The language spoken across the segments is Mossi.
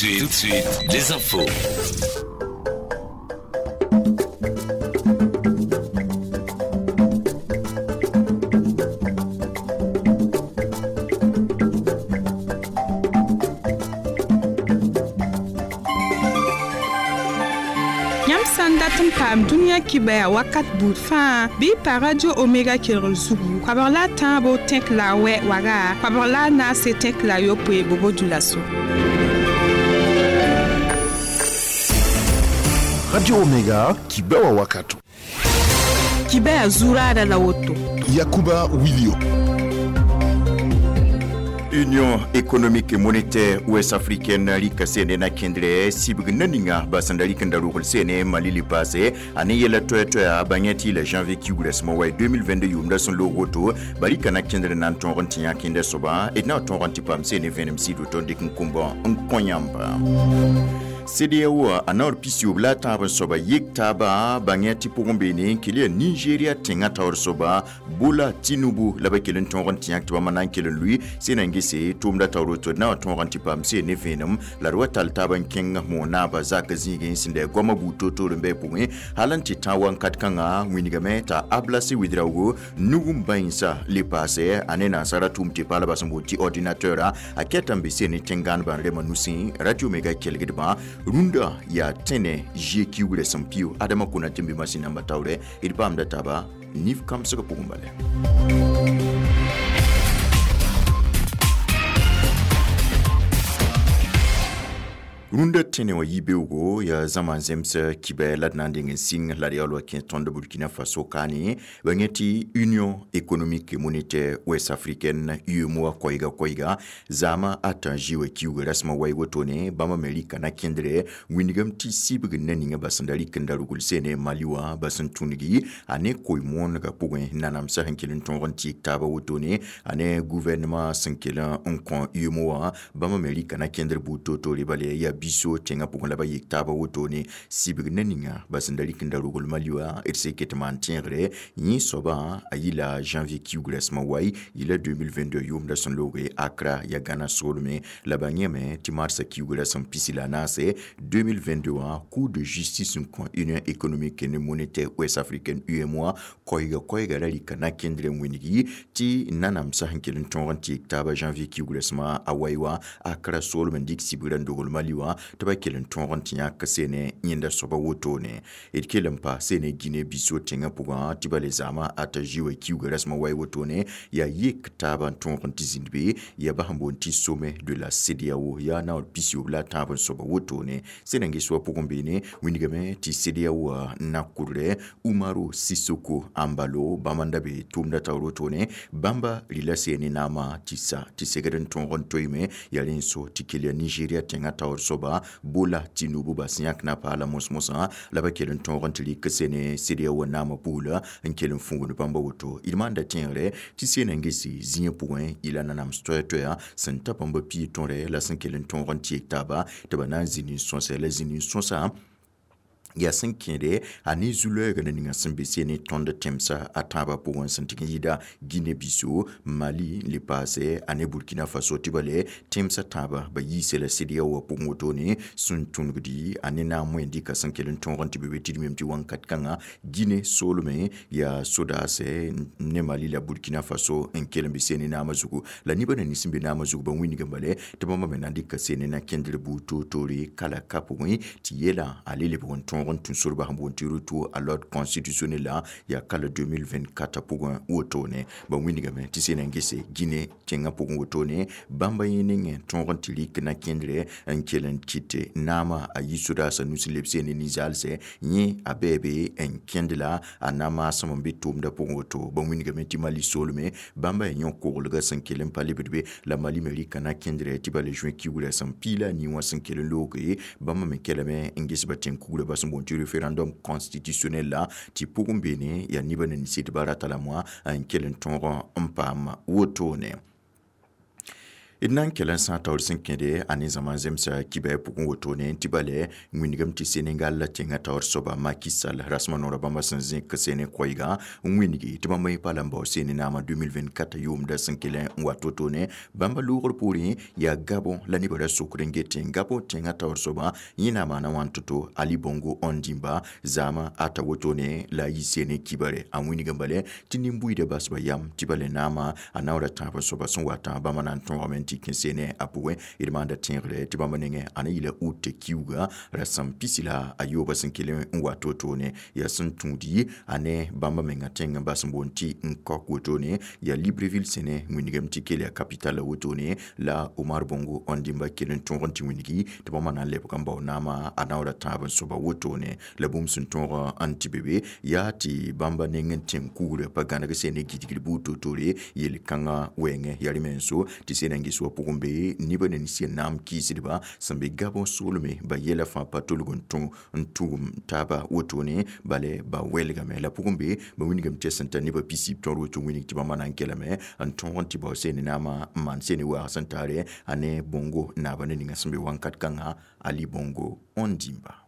Tout de suite, les infos. Yãmb sã n dat n paam dũniyã kibaya wakat buud fãa bɩ y pa Radio Omega kelgr zugu koabg la a tãabo tẽk la a wɛ waga koabg la a naase tẽk la a yopoe bobo dulaso. Radio Omega kibewa wakato. Kibaya zuraada la woto. Yakuba Wilio. Union économique et monétaire ouest-africaine rika sene na kendre sibg naninga basanda rika ndarugl sene Mali li passé ane yela toya toya banyati le janvier kiugres mo way 2022 yumda son logoto barika na kendre nan ton tinya kende soba et na ton pam sene venem sido ton dik nkumba nkonyamba. CEDEAO a naor pisiyob la tãab n soaba yek taaba bãngẽ tɩ pʋgẽ beene n kell yaa Nigeria tẽngã taoor soaba Bola Tinubu la ba kell n tõog n tɩ yãk tɩ bãmba na n kell n lʋɩ sẽn na n gese tʋʋmda taoor woto d na wa tõog n tɩ paam seen ne vẽenem la d wa tall taab n kẽng moog-naabã zak zĩigẽ sẽn da goamã buud toor-toor n bɩ pʋgẽ hal n tɩ tã wakat kãngã wĩnigame t'a Ablase Ouedraogo nug n bãensa le paase a ne nansara tʋʋm tɩ paalbã sẽn boond tɩ ordinateur a kɛta n be seen ne tẽn-gãanebã n rema nusẽ Radio Mega kelgdbã rũndã yaa tẽne zie kiugrã sẽn pio adama kona tɩ n be masĩn namba taoorɛ d paamda taaba nif kãmsgã pʋgẽ bala. Rũndã tẽne wã yi-beoogo yaa zãma n zems kibɛ la d na n deng n sɩng la d yaool wa kẽ tõnd Burkina Faso kaane ba yẽ tɩ Union économique et monétaire ouest africaine UEMOA koɛɛga koɛɛga zaamã ata n zĩ wa kiuugã rasmã wai wotone bãmba me rɩka na kẽndrɛ wĩndgame tɩ sibg na ninga bas n da rɩk n da rugl seene Mali wã bas n tũngi a ne koe-moonegã pʋgẽ nanamsã sẽn kell n tõog n tɩɩg taaba wotone a ne gouvernement sẽn kell n kõ UEMOA bãmba me rɩka na kẽndr buud toor-toore bala yaa biso tẽngã pʋgẽ la ba yek taaba wotone sibg na ninga bas n da rɩk n da rugl Mali wã d sẽn ket maan tẽegre yẽ soabã a yɩla janvier kiuug rasmã wai yɩla 2022 yʋʋmda sẽn looge Accra ya Ghana soolme la ba yẽme tɩ marsã kiuug rasem pisi la naase 2022 wã Cour de justice n kõ Union économique et monétaire ouest africaine UEMOA koɛɛga koɛɛga ra rɩka na kẽndr n wĩngi tɩ nanamsã sẽn kell n tõog n tɩɩg taaba janvier kiuug rasmã a wai wã Accra soolm n dɩk sibgrã n dogl Mali wã tɩ ba kell n tõog n tɩ yãk seene yẽnda soaba wotone d kell n pa seene Guinée Bissau tẽngã pʋgã tɩ ba le zaamã ata zĩ wa kiuugã rasmã wai wotone yaa yek taaba n tõog n tɩ zĩnd be yaa bas n boond tɩ sommet de la CEDEAO yaa naoor pisiyob la a tãab n soaba wotone sẽn na n ges wa pʋgẽ beene wĩndgame tɩ CEDEAO na kʋdrɛ Umaro Sissoco Embalo bãmba n da be tʋʋmda taoor wotone bãmba rɩla seene naamã tɩ sa tɩ segd n tõog n toeeme yaa rẽ n so tɩ kell yaa Nigeria tẽngã taoor soaba Bola Tinubu bas yãk na paala mos-mosã la ba kell n tõog n tɩ rɩk seene CEDEAO naamã pugla n kell n fũugd bãmba woto d maanda tẽegre tɩ seen n gese zĩigã pʋgẽ yɩla nanams toɛɛ-toɛɛa sẽn ta bãmba pii tõre la sẽn kell n tõog n tɩɩg taaba tɩ ba na n zĩnd n sõsɛ la zĩnd n sõsa yaa sẽn kẽede a ne zu-loɛɛgã na ninga sẽn be seene tõnd tẽmsã a tãabã pʋgẽ sẽn tɩg n yɩɩda Guinée Bissau Mali le paase a ne Burkina Faso tɩ ba le tẽmsã tãabã ba yiise la CEDEAO wã pʋgẽ wotone sẽn tũnugdi a ne naam wẽn dɩka sẽn kell n tõog n tɩ be be tɩ d mem tɩ wãnkat kãngã Guinée soolme yaa sodaasɛ ne Mali la Burkina Faso n kell n be seene naamã zugu la nebã na nins n be naamã zugu ba wĩndg n bale tɩ bãmba me na n dɩka seene na kẽndr buud toor-toore kala ka pʋgẽ tɩ yeelã a le lebg n tõog n tũ sorba sẽn boond tɩ retour à l'ordre constitutionnel la yaa kala 2024 pʋgẽ wotone ba wĩndgame tɩ sẽn na n gese Guinée tẽngã pʋgẽ wotone bãmba yẽ nengẽ tõog n tɩ rɩk na kẽndrɛ n kell n kɩt naamã a yi sodaasã nus n leb seene ninzaalsɛ yẽ a bɛɛ n kẽnd la a na maasem n be tʋʋmdã pʋgẽ woto ba wĩndgame tɩ Mali soolme bãmba yaa yõ-koglgã sẽn kell n pa lebd be la Mali me rɩka na kẽndrɛ tɩ ba le juin kiugrã sẽn piila a nii wã sẽn kell n looge bãmba me kelame n ges ba tẽn-kugrã bas n boond tɩ référendum constitutionnel la tɩ pʋgẽ beene yaa nebã na nins tɩ ba rata la moa n kell n tõog n paam wotone. D na n kell n sã taoor sẽn kẽde a ne zãma zemsa kibɛ pʋgẽ wotone tɩ bale wĩndgame tɩ Senegal tẽngã taoor soaba Macky Sall rasmã noorã bãmba sẽn zẽk sene koɛɛgã n wĩndgi tɩ bãmba yẽ pa la n bao sene naamã 2024 yʋʋmda sẽn kell n wat wotone. Bãmba loogr poorẽ yaa Gabon la nebã ra sokd n getẽ Gabon tẽngã taoor soaba yẽ na n maana wãn to-to Ali Bongo Ondimba zaamã ata wotone la a yi sene kibare a wĩndg n bale tɩ nin-buiidã basba yam tɩ bale naamã a naoora tãab soaba sẽn watã bãmba na n tõogame tɩ kẽ sene a pʋgẽ. D maanda tẽegre tɩ bãmba nengẽ a na yɩla ut kiuuga rasem pisi la a yooba sẽn kell n wat wotone yaa sẽn tũudi a ne bãmba menga tẽng n bas n boond tɩ n kok wotone yaa Libreville sẽne wĩndgame tɩ kell yaa capitale wotone la Omar Bongo Ondimba kell n tõog n tɩ wĩndgi tɩ bãmba na n lebg n bao naamã a naoora tãab n soaba wotone. La bũmb sẽn tõog n tɩ be be yaa tɩ bãmba neng n tẽng kugrã pa gãneg sene gidgd buud to-tore yel-kãngã wɛɛngẽ yaa rẽ menso tɩ sena n ges wã pʋgẽ be nebã ne sẽn naam kɩɩsdba sẽn be Gabon soolme ba yɛla fãa pa tolg n tũ n tugum taaba wotone bale ba wɛlgame la pʋgẽ be ba wĩndgame tɩ sẽn tar nebã pisiib tõr woto wĩndg tɩ bãmba na n kelame n tõog n tɩ bao sene naamã n maan sene waag sẽn tare a ne Bongo naaba ne ninga sẽn be wãnkat kãngã Ali Bongo Ondimba.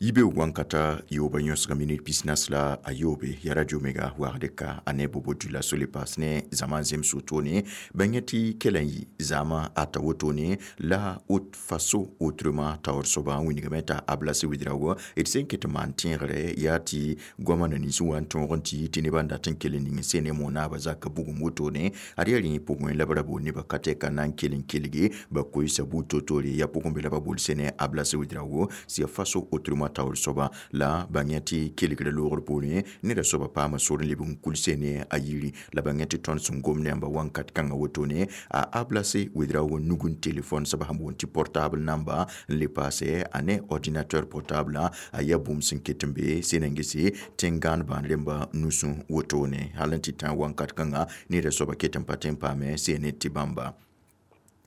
Yibeoog wãnkata yooba yõsga minit pisnas la a yoobe ya radio mega waagd ka a ne bobo dula sole paas ne zãma n zems wotone bãng tɩ kell n yɩ zãma ata wotone la haute faso autrement taoor soaba n wĩndgame t'a Ablassé Ouédraogo. D sẽn ket n maan tẽegre yaa tɩ goamã na nins wa n tõog n tɩ tɩ nebã n dat n kell n ning sene monaabã zaka bugum wotone ad yaa rẽ pʋgẽ la b ra bool nebã ka tɛka na n kell n kelge ba koeesa buud to-toore yaa pʋgẽ be la ba bool sene Ablassé Ouédraogo sɩ ya faso autrement taoor soaba la bãng tɩ kelgrã loogr poorẽ neda soaba paama sor n leb n kul sene a yiri la bãng tɩ tõnd sẽn gom ne yãmba wãnkat kãngã wotone a Ablassé Ouédraogo nug n telefon soaba sẽn boond tɩ portable namba n le paase a ne ordinateur portable a yaa bũmb sẽn ket n be sẽn n gese tẽn-gãan bãan rẽmba nusẽ wotone hal n tɩ tã wãnkat kãngã neda soaba ket n pa tõe n paame sene tɩ bãmba.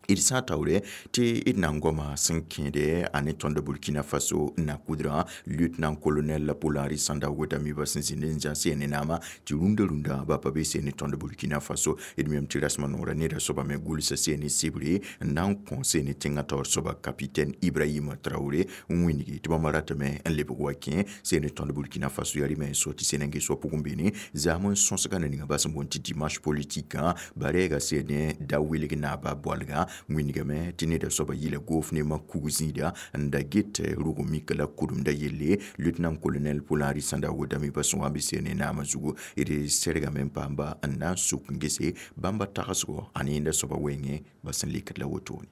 D sã n taoore tɩ d na n goama sẽn kẽede a ne tõnd Burkina Faso na kudrã lieutenant colonel Paul-Henri Sandaogo Damiba sẽn zĩnd n zã sene naamã tɩ rũndã rũndã ba pa be sene tõnd Burkina Faso. D mem tɩ rasmã noorã neda soaba me gʋlsa sene sɩbre n na n kõ sene tẽngã taoor soaba capitaine Ibrahim Traoré n wĩndgi tɩ bãmba ratame n lebg wa kẽ sene tõnd Burkina Faso yaa rɩ so tɩ sene n ges wã pʋgẽ beene zaam n sõsga ne ninga bas n boond tɩ dimanche politique ba reega sene da wilg naaba boalgã wĩndgame tɩ neda soaba yɩla goof ne kug zĩida n da get rʋg mik la kʋdemda yelle lieutenant colonel Paul-Henri Sandaogo Damiba sẽn wa n be sene naamã zugu d sɛrgame n paamba n na n suk n gese bãmba tagsgo a ne yẽnda soaba wɛɛngẽ ba sẽn lekd la wotone.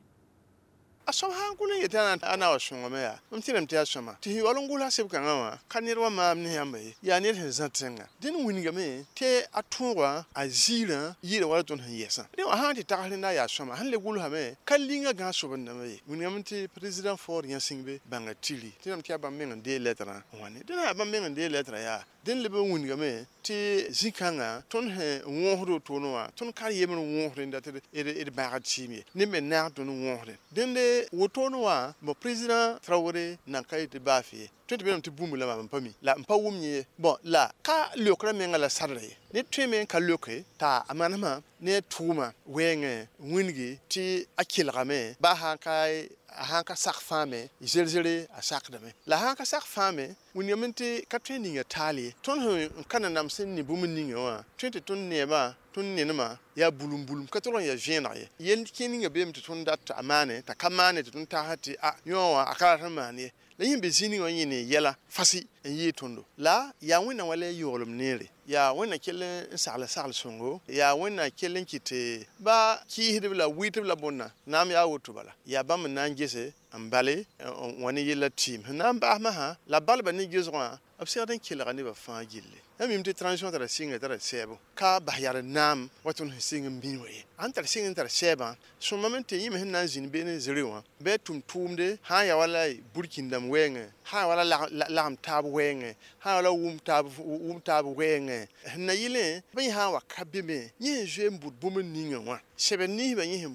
A soab sã n kʋl n yetã a na wa sõngame yaa mam tẽdame tɩ yaa sõma tɩ sẽn yaool n gʋlsa seb kãngã wã ka ned wa maam ne yãmba ye yaa ned sẽn zã tẽnga dẽn wĩndgame tɩ a tõogã a ziirã yɩɩda wala tõnd sẽn yɛsã dẽ wã sã n tɩ tags rẽnda yaa sõma sẽn le gʋlsame ka linga gãag sob-n-dãmba ye wĩndgame tɩ président Faure Gnassingbé bãnga tiri tẽdame tɩ yaa bãmb meng n deeg lɛtrã n wa ne dẽn yaa bãmb meng n deeg lɛtrã yaa dẽn leb n wĩndgame tɩ zĩ-kãngã tõnd sẽn wõosd wotone wã tõnd ka yembr wõos rẽnda tɩ d bãagd tɩɩm ye neb me naag tõnd wõosdẽ dẽnde wotone wã mo président Traoré nan ka yetɩ baaf ye tõe tɩ beelame tɩ bũmb la maam n pa mi la n pa wʋm yẽ bõn la ka leokrã menga la sadra ye ned tõeme n ka leoke t'a a manesmã ne a tʋʋma wɛɛngẽ wĩndgi tɩ a kelgame baa sã n ka sak fãame zer-zere a sakdame la sã n ka sak fãame wĩndgame tɩ ka tõe n ninga taal ye tõnd sẽn n ka nanam sẽn ne bũmb ninga wã tõe tɩ tõnd neebã tõnd nenema yaa bulum bulum ka tʋg n yaa vẽeneg ye yel kẽer ninga beeme tɩ tõnd dat a maane t'a ka maane tɩ tõnd tagsã tɩ a yõ wã a ka rat n maan ye la yẽ be zĩ ninga wã yẽ ne yɛla fasɩ n yɩɩ tõndo la yaa Wẽnnaam wala yooglem neere yaa Wẽnnaam kell n sagl sagl sõngo yaa Wẽnnaam kell n kɩt tɩ ba kɩɩsdb la wɩɩtb la bõnna naam yaa woto bala yaa bãmb n na n gese n bale n wa ne yella tɩɩm sẽn na n baas masã la balba ne gesgã b segd n kelga nebã fãa gilli yãmb mim tɩ transition tara sɩnga tara sɛɛbo ka bas yaa naam wa tõnd sẽn sɩng n bĩi wã ye sãn tar sɩng n tar sɛɛbã sõmame tɩ yẽ me sẽn na n zĩnd beene zɩrɩ wã bɩ tʋm tʋʋmde sã n ya wala burkĩn-dãmb wɛɛngẽ sã n ya wala lagem taab wɛɛngẽ sã n ya wala wʋm taab wɛɛngẽ sẽn na yɩlẽ bɩ yẽ sã n wa ka be me yẽ sẽn zoe n bʋd bũmb ninga wã Sɛbɛ niisbã yẽ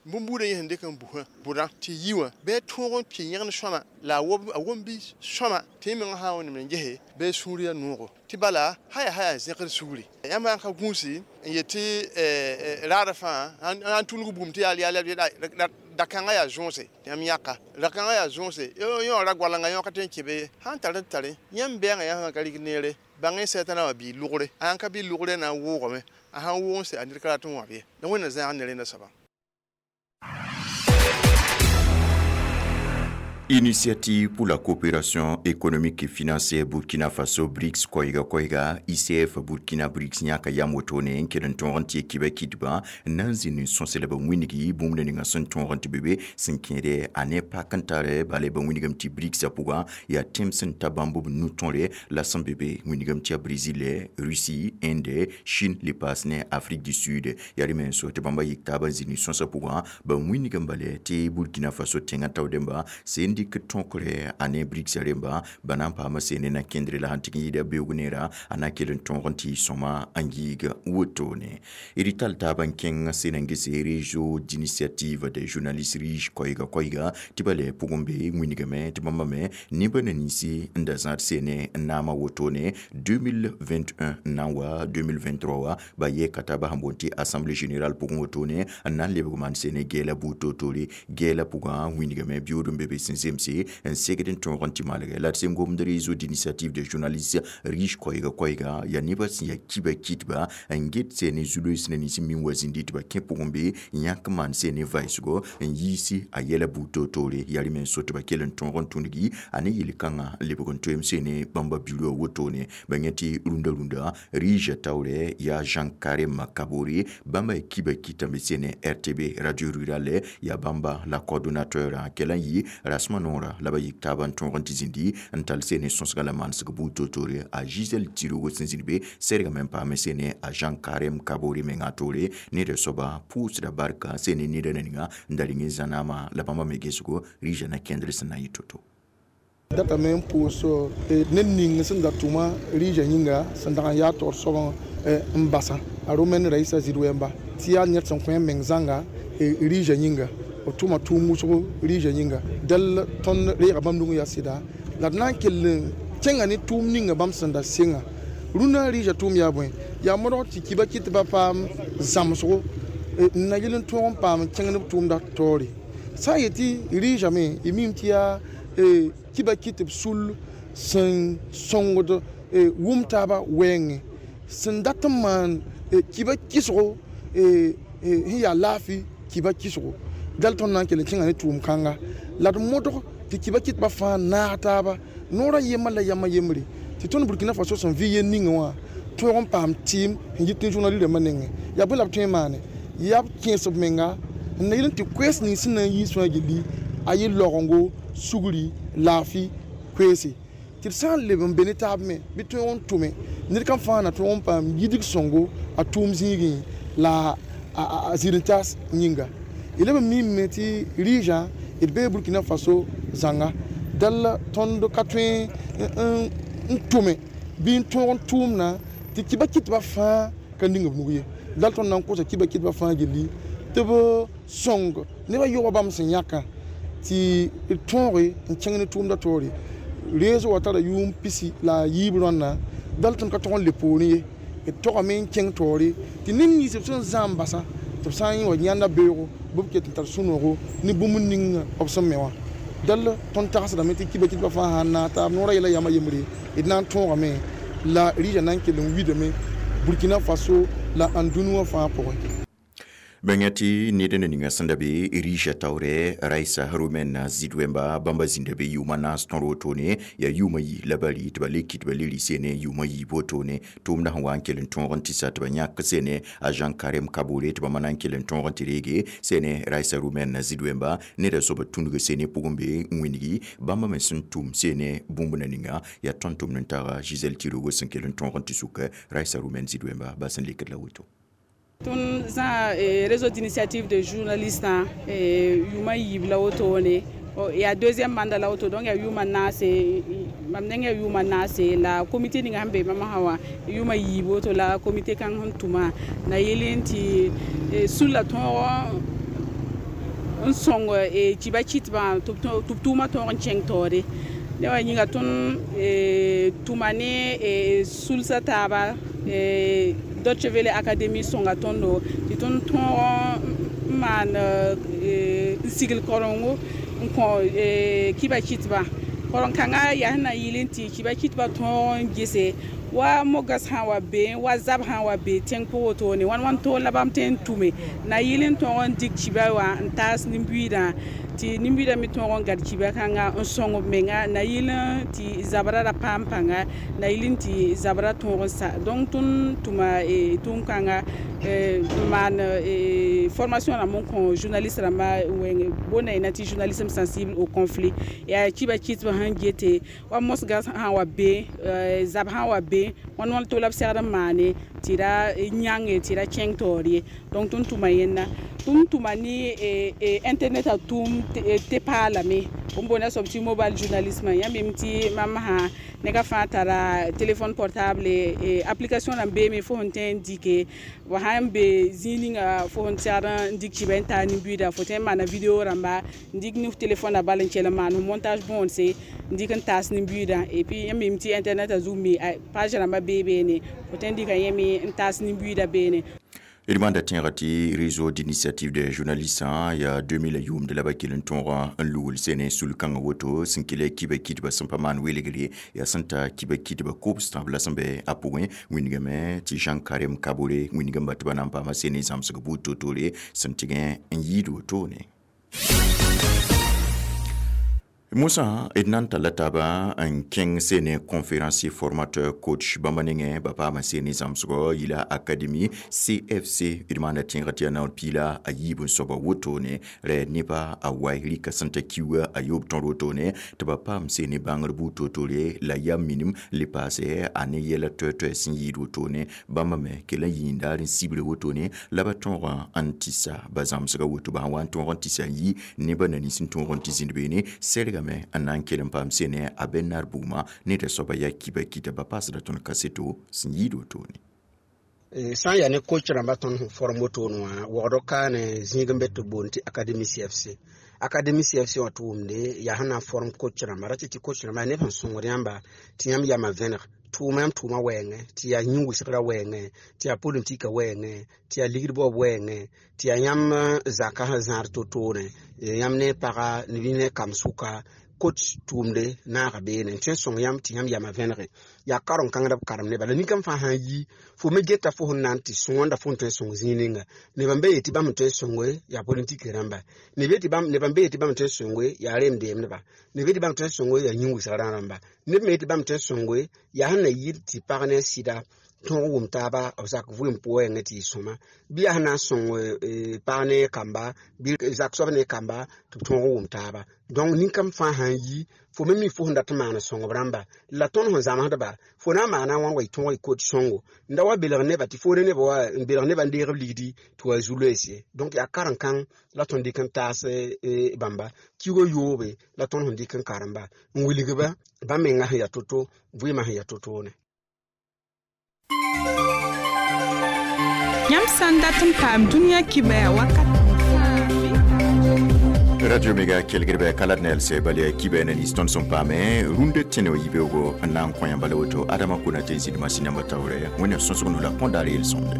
bũmbuudã yẽ sẽn dɩk n busã bʋdã tɩ yi wã bɩ a tõog n kɩ yẽgen sõama la a wom bɩ sõama tɩ yẽ mengã sã n wẽnnaam n gese bɩ a sũur yaa noogo tɩ bala haya zẽkd sugri yãmb sã n ka gũusi n yet tɩ raadã fãa n tulg bũmb tɩ yaa da-kãngã yaa zõose tɩ yãmb yãka da-kãngã yaa zõose yõ ra goalengã yõ ka tõe n kẽ be ye sãn tar n tare yãmb bɛɛngã yãmb sã ka rɩk neere bãng y sɛtã wã bɩ lʋgre a sãn ka bɩ lʋgre na n wʋʋgame a sãn wʋʋg n sɛ a ned ka rat n wãb ye la Wẽnna zãag ne rẽnda soaba. Initiative pour la coopération économique et financière Burkina Faso BRICS koiga koiga ICF Burkina BRICS yãka yam wotone n kell n tõog n tɩ kiba kɩdbã n na n zĩnd n sõsẽ la ba wĩnigi bũmb ninga sẽn tõog n tɩ be be sẽn kẽede a ne pak n tare bala ba wĩnigame tɩ BRICS pʋgã yaa tẽm sẽn ta bãmb b nu-tõre la sẽn be be wĩnigame tɩ yaa Brésil, Russie, Inde, Chine le paas ne Afrique du Sud yaa rẽ me n so tɩ bãmba yik taabã n zĩnd sõsã pʋgã ba wĩnigame bala tɩ Burkina Faso tẽngã taoodẽmba sẽn dɩk tõkre a ne BRICS rẽmba ba na n paama seene na kẽndre la sãn tɩg n yɩɩda beoog neera a na kell n tõog n tɩ sõma n yiig wotone d tall taab n kẽng sẽn n gese réseau d'initiative des journalistes riches koɛɛga koɛɛga tɩ ba lɛ pʋgẽ be wĩnigame tɩ bãmba me nebã na ninsi n da zãad seene n naama wotone 2021 n na n wa 2023 wa ba yɛɛ ka taaba sẽn boond tɩ assemblée générale pʋgẽ wotone n na n lebg maan seene gɛɛla buud toor-toore gɛɛla pʋgã wĩnigame biood n be be sẽn zemse n segd n tõog n tɩ malgɛ la d sẽn gomd réseau d'initiative des journalistes riches koɛɛga koɛɛga yaa nebã sẽn yaa kiba kɩtba n get seene zu-loees na nins n min wa zĩndi tɩ ba kẽ pʋgẽ be n yãk n maan seene vaɩsgo n yiisi a yɛla buud toor-toore yaa rẽ me n so tɩ ba kell n tõog n tũngi a ne yel-kãngã n lebg n toeem seene bãmba bureau wotone ba yẽ tɩ rũndã rũndã rige taoorɛ yaa Jean Karim Kabore bãmba yaa kiba kɩta n be seene RTB radio rurale yaa bãmba la coordonnateur kell n yɩ rasmã noorã la ba yik taab n tõog n tɩ zĩndi n tall seene sõsga la manesg buud toor-toore a Gisèle Tirogo sẽn zĩnd be sɛrgame n paame seene a Jean Karim Kabore mengã toore neda soaba pʋʋsda barka seene neda ninga n da rɩng n zãnaama la bãmba me gesgo rɩɩsã na kẽndr sẽn na n yɩ to-to. Datame n pʋʋs ned ning sẽn da tʋma rɩɩsã yĩnga sẽn dag n yaa taoor soabã n basã a Romaine Raissa Zidwemba tɩ yaa ned sẽn kõ a meng zãnga rɩɩsã yĩnga b tʋma tʋʋm wʋsgo rɩɩsã yĩnga dal tõnd reega bãmb nug n yaa sɩda la d na n kell n kẽnga ne tʋʋm ninga bãmb sẽn da senga rũnã rɩɩsã tʋʋm yaa bõe yaa modg tɩ kiba kɩt ba paam zãmsgo n na yel n tõog n paam n kẽng ne b tʋʋmda taoore sã n yetɩ rɩɩsame y mim tɩ yaa kiba kɩt b sul sẽn sõngd wʋm taaba wɛɛngẽ sẽn dat n maan kiba kɩsgo sẽn yaa laafɩ kiba kɩsgo dal tõnd na n kell n kẽnga ne tʋʋm kãnga la d modg tɩ kiba kɩtbã fãa naag taaba noorã yembã la yamã yembre tɩ tõnd Burkina Faso sẽn vɩ yel ninga wã tõog n paam tɩɩm sẽn yit ne journal rãmbã nengẽ yaa bõe la b tõe n maane yaa b kẽes b menga n na yel n tɩ koees nins sẽn na n yiis fãa gilli a yɩ laogengo sugri laafɩ koeese tɩ d sã n leb n be ne taab me bɩ tõog n tʋme ned kam fãa na tõog n paam yidg sõngo a tʋʋm zĩigẽ la a zĩr-n-taas yĩnga y leb n miime tɩ rɩɩsã d bee Burkina Faso zãnga dal tõnd ka tõe n tʋme bɩ n tõog n tʋʋmna tɩ kiba kɩtbã fãa ka ning b nug ye dal tõnd na n kosa kiba kɩtbã fãa gilli tɩ b sõng nebã yoga bãmb sẽn yãkã tɩ d tõoge n kẽng ne tʋʋmda taoore rees wa tara yʋʋm pisi la a yiib rõnna dal tõnd ka tog n le poorẽ ye d togame n kẽng taoore tɩ ned nins b sẽn zãam basã tɩ b sã n wa yãnda beoogo bɩ b ket n tar sũ-noogo ne bũmb ning b sẽn me wã dal tõnd tagsdame tɩ kiba kɩtbã fãa sã n naag taab noorã yɛla yamã yembre d na n tõogame la rɩɩsã na n kell n widame Burkina Faso la ãndũni wã fãa pʋgẽ. Bãnga tɩ ned na ninga sẽn da be rɩɩsã taoorɛ Raissa Romaine Zidwemba bãmba zĩnda be yʋʋma naas tõr wotone yaa yʋʋma yi la ba rɩ tɩ ba le kɩt ba le rɩ seene yʋʋma yiib wotone tʋʋmda sẽn wa n kell n tõog n tɩ sa tɩ ba yãk seene a Jean Karim Kabore tɩ bãmba na n kell n tõog n tɩ reege seene Raissa Romaine Zidwemba neda soaba tũnug seene pʋgẽ be n wĩngi bãmba me sẽn tʋm seene bũmb na ninga yaa tõnd tʋmd n taga Gisèle Tirogo sẽn kell n tõog n tɩ sʋk Raissa Romaine Zidwemba ba sẽn lekd la woto. Tõnd zã réseau d'initiative de journalistes yʋʋma yiib la wotone yaa deuxième mandat la woto donc yaa yʋʋma naase Mam nengã yʋʋma naase la comité ninga sẽn be mam sã wã yʋʋma yiib woto la comité kãng sẽn tʋma na yel n tɩ sulla tõog n sõng kiba kɩtbã tɩ b tʋʋmã tõog n kẽng taoore. Ne wa yĩnga tõnd tʋma ne sulsã taaba Deutsche Welle Academy sõnga tõndo tɩ tõnd tõog n maan n sigl karengo n kõ kiba kɩtbã. Karen-kãngã yaa sẽn na n yɩl n tɩ kiba kɩtbã tõog n gese wa mogas sã n wa be, wa zab sã n wa be tẽng pʋg wotone, wãn wãn toor la bãmb tõe n tʋme na yɩl n tõog n dɩk kiba wã n taas nin-buiidã tɩ nin-buiidã me tõog n gad kiba kãnga n sõng b menga na yɩl n tɩ zabrã ra paam pãnga na yɩl n tɩ zabrã tõog n sa. Donc tõnd tʋma tʋʋm-kãnga n maan formation rãmb n kõ journaliste rãmbã wẽng boonda yẽna tɩ journalisme sensible au conflit. Yaa kiba kɩtbã sẽn gete wa mosgã sã n wa be, zab sã n wa be, wãn wãn to la b segd n maane tɩ ra yãnge tɩ ra kẽng taoor ye. Donc tõnd tʋma yẽnda. Tõnd tʋma ne internet a tʋʋm tɩ paalame b boonda soab tɩ mobile journalisme. Yãmb mim tɩ mam sã nega fãa tara téléphone portable, application rãmb beeme fo sẽn tõe n dɩke wa sãn be zĩig ninga fo sẽn segd n dɩk kiba n taa nin-buiida, fo tõe n maana video rãmba n dɩk ne téléphone a bal n kell n maan montage bõonse n dɩk n taas nin-buiidã. Et puis yãmb mim tɩ internet a zug me page rãmbã bee beene fo tõe n dɩka yẽ me n taas nin-buiidã beene. D manda tẽega tɩ réseau d'initiative des journalistes yaa 2000 yʋʋmd la ba kell n tõog n lugl sene sul-kãngã woto sẽn kell kiba kɩtbã sẽn pa maan welgre yaa sẽn ta kiba kɩtbã kobs tãb la sẽn be a pʋgẽ wĩndgame tɩ Jean Karem Kabore wĩndgame tɩ ba na n paama sene zãmsg buud to-tore sẽn tɩgẽ n yɩɩd wotone. Mosã d na n talla taaba n kẽng sene conférencier formateur coach bãmba nengẽ ba paama sene zãmsgɔ yila académie CFC. D maanda tẽegã tɩ yaa naoor piila a yiib n soaba wotone rɛ nebã a wai rɩka sẽn ta kiuga a yoob tõr wotone tɩ ba paam sene bãngr buud to-tore la yam minim le paase a ne yɛla toɛ-toɛ sẽn yɩɩd wotone bãmba me kell n yĩindaar n sibre wotone la ba tõogã n tɩsa ba zãmsga woto ba sã wa n tõog n tɩsa n yi nebã na nins n tõog n tɩ zĩnd beene sɛrgame n na n kell n paam sene a bɛn-nar bugmã ned a soaba yaa kiba kɩta ba paasda tõnd kaseto sẽn yɩɩd wotone. Sã n yaa ne coach rãmba tõnd sẽn form wotone wã waoogd kaane zĩig n be tɩ b boond tɩ académie CFC. Académie CFC wã tɩ wʋmde yaa sẽn na n form coach rãmba ra tɩ tɩ coach rãmba neb sẽn sõngd yãmba tɩ yãmb yamã vẽneg tʋʋma yãmb tʋʋma wɛɛngẽ tɩ yaa yĩn-wɩsgrã wɛɛngẽ tɩ yaa politika wɛɛngẽ tɩ yaa ligd baoob wɛɛngẽ tɩ yaa yãmb zaka sẽn zãad to-toore yãmb ne paga ne kam sʋka coach tʋʋmde naaga beene n tõe n sõng yãmb tɩ yãmb yamã vẽnege yaa karen-kãngd b karem neba la ninkam fãa sã n yi fo me geta fo sẽn na n tɩ sõanda fo n tõe n sõng zĩig ninga neb n be yetɩ bãmb n tõe n sõnge yaa politik rãmba neb n be yetɩ bãmb n tõe n sõnge yaa rem-deemdba neb yetɩ bãmb tõe n sõnge yaa yĩn-wɩsgrã rãmba neb me yetɩ bãmb tõe n sõnge yaa sẽn na yɩ tɩ pag ne a sɩda tõog wʋm taaba b zak vɩɩm pʋgẽ tɩ yɩ sõma bɩ yaa sẽn na n sõng pag ne kamba bɩ zak soab ne kamba tɩ b tõog n wʋm taaba. Donc ninkam fãa sã n yi fo me mi fo sẽn dat n maan sõngb rãmba la tõnd sẽn zãmsdba fo na n maana wãn wa y tõog y kot sõngo n da wa belg neba tɩ foore neba wa n belg neba n deeg b ligdi tɩ wa zu-loees ye. Donc yaa karen-kãng la tõnd dɩk n taas bãmba kiugo yoobe la tõnd sẽn dɩk n karemba n wilg-ba bãmb menga sẽn yaa to-to vɩɩmã sẽn yaa to-toone. Yãmb sã n dat n paam dũniyã kibɛɛ wakat. Radio Mega kelgrɩbɛ ka la d neel sɛ bal yaa kibɛ na nins tõnd sẽn paame rũndã tẽne wa yibeoogo n na n kõ yãmba la woto Adama Konate n zĩnd masĩn nambã taoorɛ Wẽnnaam sõsg no la põdaar yel-sõmde.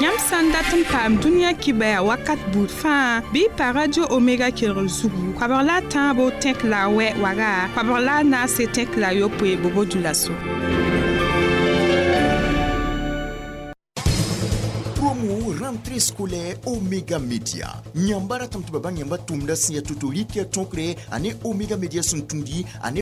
Yãmb sã n dat n paam dũniyã kibɛɛ wakat buud fãa bɩ pa Radio Omega kelgr zugu koabg la a tãabo tẽk la a wɛ waga koabg la a naase tẽk la a yopoe bobo dũlaso. Rentrée scolaire Omega Media. Nyambara tam tɩ ba bãng yãmba tʋmda sẽn yaa to-to rɩk yaa tõkre ane Omega Media sẽn tũudi ane